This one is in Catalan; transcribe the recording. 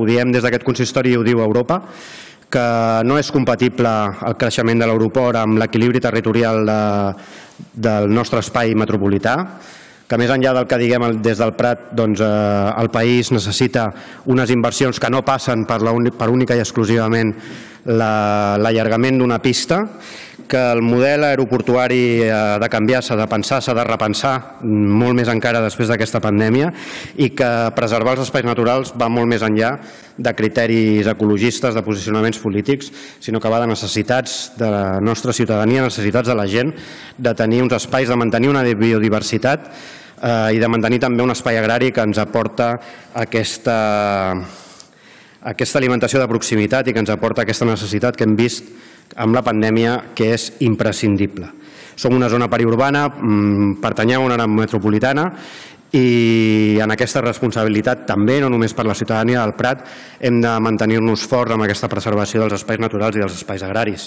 Ho diem des d'aquest consistori i ho diu Europa, que no és compatible el creixement de l'aeroport amb l'equilibri territorial del nostre espai metropolità, que més enllà del que diguem des del Prat, el país necessita unes inversions que no passen per única i exclusivament l'allargament d'una pista, que el model aeroportuari ha de canviar, s'ha de pensar, s'ha de repensar molt més encara després d'aquesta pandèmia, i que preservar els espais naturals va molt més enllà de criteris ecologistes, de posicionaments polítics, sinó que va de necessitats de la nostra ciutadania, necessitats de la gent, de tenir uns espais, de mantenir una biodiversitat i de mantenir també un espai agrari que ens aporta aquesta alimentació de proximitat i que ens aporta aquesta necessitat que hem vist amb la pandèmia, que és imprescindible. Som una zona periurbana, pertanyem a una àrea metropolitana i en aquesta responsabilitat també, no només per la ciutadania del Prat, hem de mantenir-nos forts amb aquesta preservació dels espais naturals i dels espais agraris.